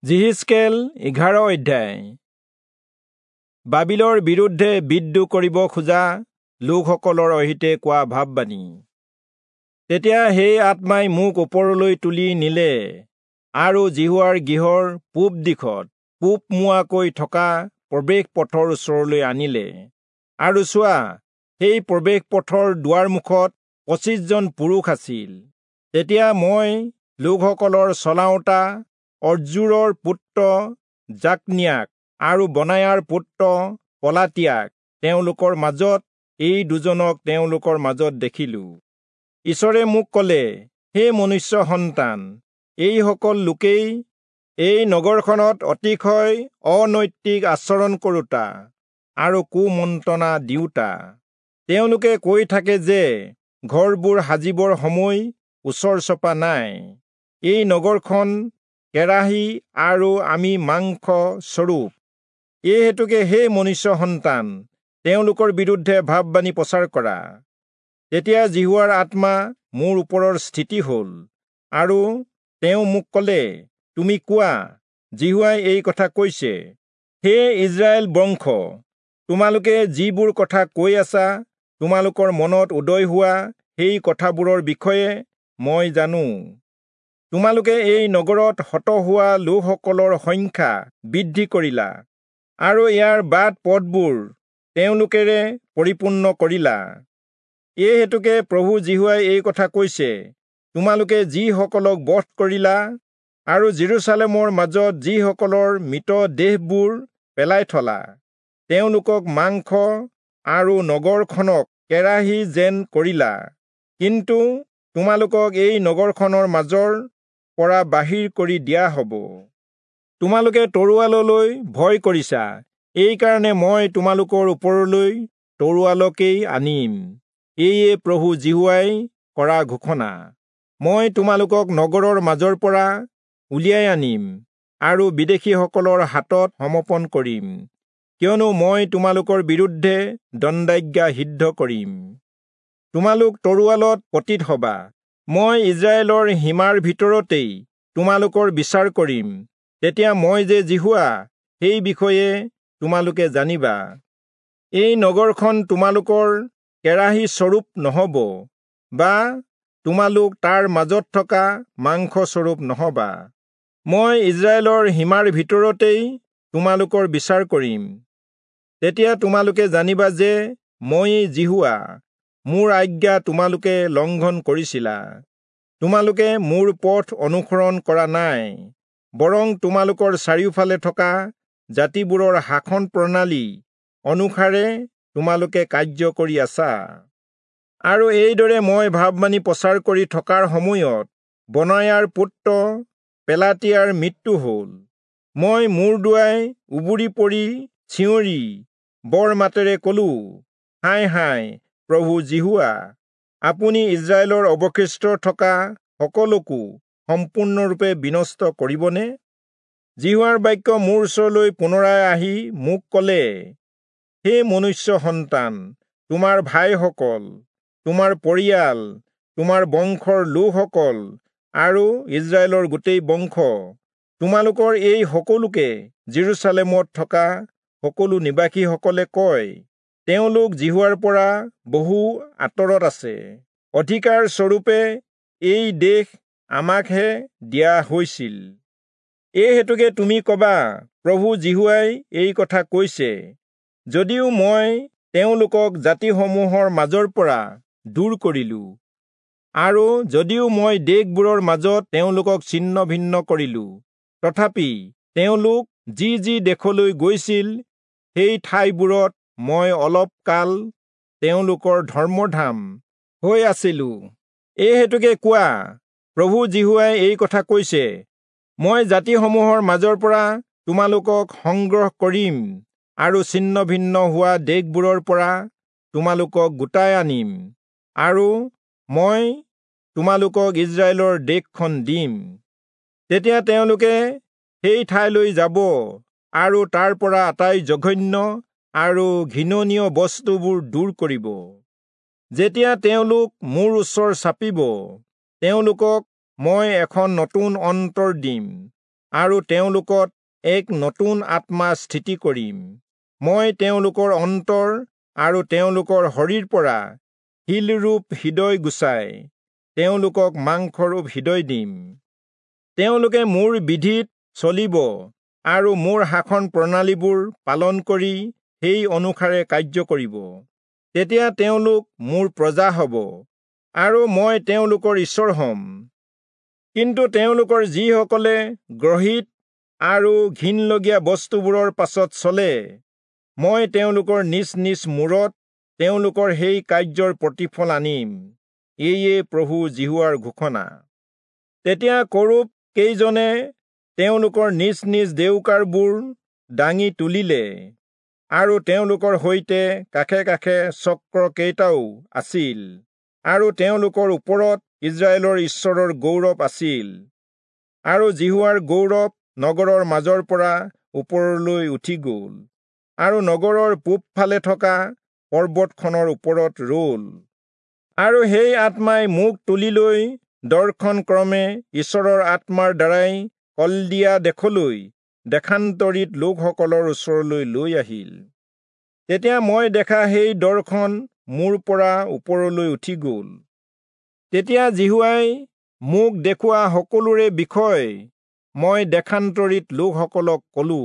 যিহিষ্কেল 11 অধ্যায়। বাবিলৰ বিৰুদ্ধে বিদ্ৰোহ কৰিব খোজা লোকসকলৰ অহিতে কোৱা ভাববাণী। তেতিয়া সেই আত্মাই মোক ওপৰলৈ তুলি নিলে আৰু যিহোৱাৰ গৃহৰ পূব দিশত পূবমুৱাকৈ থকা প্ৰৱেশ পথৰ ওচৰলৈ আনিলে। আৰু চোৱা, সেই প্ৰৱেশ পথৰ দুৱাৰমুখত 25 জন পুৰুষ আছিল। তেতিয়া মই লোকসকলৰ চলাওঁতা অজ্জুৰৰ পুত্ৰ যাকনিয়াক আৰু বনায়াৰ পুত্ৰ পলাতিয়াক তেওঁলোকৰ মাজত, এই দুজনক তেওঁলোকৰ মাজত দেখিলো। ঈশ্বৰে মোক ক'লে, হে মনুষ্য সন্তান, এইসকল লোকেই এই নগৰখনত অতিশয় অনৈতিক আচৰণ কৰোঁতা আৰু কুমন্ত্ৰণা দিওঁতা। তেওঁলোকে কৈ থাকে যে ঘৰবোৰ সাজিবৰ সময় ওচৰ চপা নাই, এই নগৰখন কেৰাহী আৰু আমি মাংস স্বৰূপ। এই হেতুকে হে মনুষ্য সন্তান, তেওঁলোকৰ বিৰুদ্ধে ভাববাণী প্ৰচাৰ কৰা। তেতিয়া যিহোৱাৰ আত্মা মোৰ ওপৰৰ স্থিতি হ'ল আৰু তেওঁ মোক ক'লে, তুমি কোৱা, যিহোৱাই এই কথা কৈছে, হে ইস্ৰায়েল বংশ, তোমালোকে যিবোৰ কথা কৈ আছা, তোমালোকৰ মনত উদয় হোৱা সেই কথাবোৰৰ বিষয়ে মই জানো। তোমালোকে এই নগৰত হত হোৱা লোকসকলৰ সংখ্যা বৃদ্ধি কৰিলা আৰু ইয়াৰ বাট পথবোৰ তেওঁলোকেৰে পৰিপূৰ্ণ কৰিলা। এই হেতুকে প্ৰভু যিহোৱাই এই কথা কৈছে, তোমালোকে যিসকলক বধ কৰিলা আৰু যিৰূচালেমৰ মাজত যিসকলৰ মৃত দেহবোৰ পেলাই থলা, তেওঁলোকক মাংস আৰু নগৰখনক কেৰাহী যেন কৰিলা। কিন্তু তোমালোকক এই নগৰখনৰ মাজৰ পৰা বাহিৰ কৰি দিয়া হ'ব। তোমালোকে তৰোৱাললৈ ভয় কৰিছা, এইকাৰণে মই তোমালোকৰ ওপৰলৈ তৰোৱালকেই আনিম। এয়ে প্ৰভু যিহোৱাই কৰা ঘোষণা। মই তোমালোকক নগৰৰ মাজৰ পৰা উলিয়াই আনিম আৰু বিদেশীসকলৰ হাতত সমৰ্পণ কৰিম, কিয়নো মই তোমালোকৰ বিৰুদ্ধে দণ্ডাজ্ঞা সিদ্ধ কৰিম। তোমালোক তৰোৱালত পতিত হবা। মই ইস্ৰায়েলৰ সীমাৰ ভিতৰতেই তোমালোকৰ বিচাৰ কৰিম। তেতিয়া মই যে যিহোৱা, সেই বিষয়ে তোমালোকে জানিবা। এই নগৰখন তোমালোকৰ কেৰাহী স্বৰূপ নহব, বা তোমালোক তাৰ মাজত থকা মাংস স্বৰূপ নহবা। মই ইস্ৰায়েলৰ সীমাৰ ভিতৰতেই তোমালোকৰ বিচাৰ কৰিম। তেতিয়া তোমালোকে জানিবা যে ময়েই যিহোৱা। মোৰ আজ্ঞা তোমালোকে লংঘন কৰিছিলা। তোমালোকে মোৰ পথ অনুসৰণ কৰা নাই, বৰং তোমালোকৰ চাৰিওফালে থকা জাতিবোৰৰ শাসন প্ৰণালী অনুসাৰে তোমালোকে কাৰ্য কৰি আছা। আৰু এইদৰে মই ভাববাণী প্ৰচাৰ কৰি থকাৰ সময়ত বনায়াৰ পুত্ৰ পেলাতিয়াৰ মৃত্যু হ'ল। মই মূৰ দোৱাই উবুৰি পৰি চিঞৰি বৰ মাতেৰে কলো, হায় হায় প্ৰভু যিহোৱা, আপুনি ইস্ৰায়েলৰ অৱশিষ্ট থকা সকলোকো সম্পূৰ্ণৰূপে বিনষ্ট কৰিবনে? যিহোৱাৰ বাক্য মোৰ ওচৰলৈ পুনৰাই আহি মোক ক'লে, হে মনুষ্য সন্তান, তোমাৰ ভাইসকল, তোমাৰ পৰিয়াল, তোমাৰ বংশৰ লোকসকল আৰু ইস্ৰায়েলৰ গোটেই বংশ, তোমালোকৰ এই সকলোকে যিৰূচালেমত থকা সকলো নিবাসীসকলে কয়, তেওঁলোক যিহোৱাৰ পৰা বহু আঁতৰত আছে। অধিকাৰ স্বৰূপে এই দেশ আমাকহে দিয়া হৈছিল। এই হেতুকে তুমি কবা, প্ৰভু যিহোৱাই এই কথা কৈছে, যদিও মই তেওঁলোকক জাতিসমূহৰ মাজৰ পৰা দূৰ কৰিলো আৰু যদিও মই দেশবোৰৰ মাজত তেওঁলোকক ছিন্ন ভিন্ন কৰিলো, তথাপি তেওঁলোক যি যি দেশলৈ গৈছিল সেই ঠাইবোৰত মই অলপ কাল তেওঁলোকৰ ধৰ্মধাম হৈ আছিলো। এই হেতুকে কোৱা, প্ৰভু যিহোৱাই এই কথা কৈছে, মই জাতিসমূহৰ মাজৰ পৰা তোমালোকক সংগ্ৰহ কৰিম আৰু ছিন্ন ভিন্ন হোৱা দেশবোৰৰ পৰা তোমালোকক গোটাই আনিম আৰু মই তোমালোকক ইস্ৰায়েলৰ দেশখন দিম। তেতিয়া তেওঁলোকে সেই ঠাইলৈ যাব আৰু তাৰ পৰা আটাই জঘন্য আৰু ঘৃণনীয় বস্তুবোৰ দূৰ কৰিব। যেতিয়া তেওঁলোক মোৰ ওচৰ চাপিব, তেওঁলোকক মই এখন নতুন অন্তৰ দিম আৰু তেওঁলোকত এক নতুন আত্মা স্থিতি কৰিম। মই তেওঁলোকৰ অন্তৰ আৰু তেওঁলোকৰ শৰীৰ পৰা শিলৰূপ হৃদয় গুচাই তেওঁলোকক মাংসৰূপ হৃদয় দিম। তেওঁলোকে মোৰ বিধিত চলিব আৰু মোৰ শাসন প্ৰণালীবোৰ পালন কৰি সেই অনুসাৰে কাৰ্য কৰিব। তেতিয়া তেওঁলোক মোৰ প্ৰজা হ'ব আৰু মই তেওঁলোকৰ ঈশ্বৰ হ'ম। কিন্তু তেওঁলোকৰ যিসকলে গ্ৰহিত আৰু ঘিণলগীয়া বস্তুবোৰৰ পাছত চলে, মই তেওঁলোকৰ নিজ নিজ মূৰত তেওঁলোকৰ সেই কাৰ্যৰ প্ৰতিফল আনিম। এয়ে প্ৰভু যিহোৱাৰ ঘোষণা। তেতিয়া কৰূব কেইজনে তেওঁলোকৰ নিজ নিজ ডেউকাবোৰ দাঙি তুলিলে আৰু তেওঁলোকৰ সৈতে কাষে কাষে চক্ৰ কেইটাও আছিল আৰু তেওঁলোকৰ ওপৰত ইস্ৰায়েলৰ ঈশ্বৰৰ গৌৰৱ আছিল। আৰু যিহোৱাৰ গৌৰৱ নগৰৰ মাজৰ পৰা ওপৰলৈ উঠি গ'ল আৰু নগৰৰ পূবফালে থকা পৰ্বতখনৰ ওপৰত ৰ'ল। আৰু সেই আত্মাই মোক তুলি লৈ দৰ্শন ক্ৰমে ঈশ্বৰৰ আত্মাৰ দ্বাৰাই কলদিয়া দেশলৈ দেশান্তৰিত লোকসকলৰ ওচৰলৈ লৈ আহিল। তেতিয়া মই দেখা সেই দৰ্শন মোৰ পৰা ওপৰলৈ উঠি গ'ল। তেতিয়া যিহোৱাই মোক দেখুওৱা সকলোৰে বিষয় মই দেশান্তৰিত লোকসকলক কলো।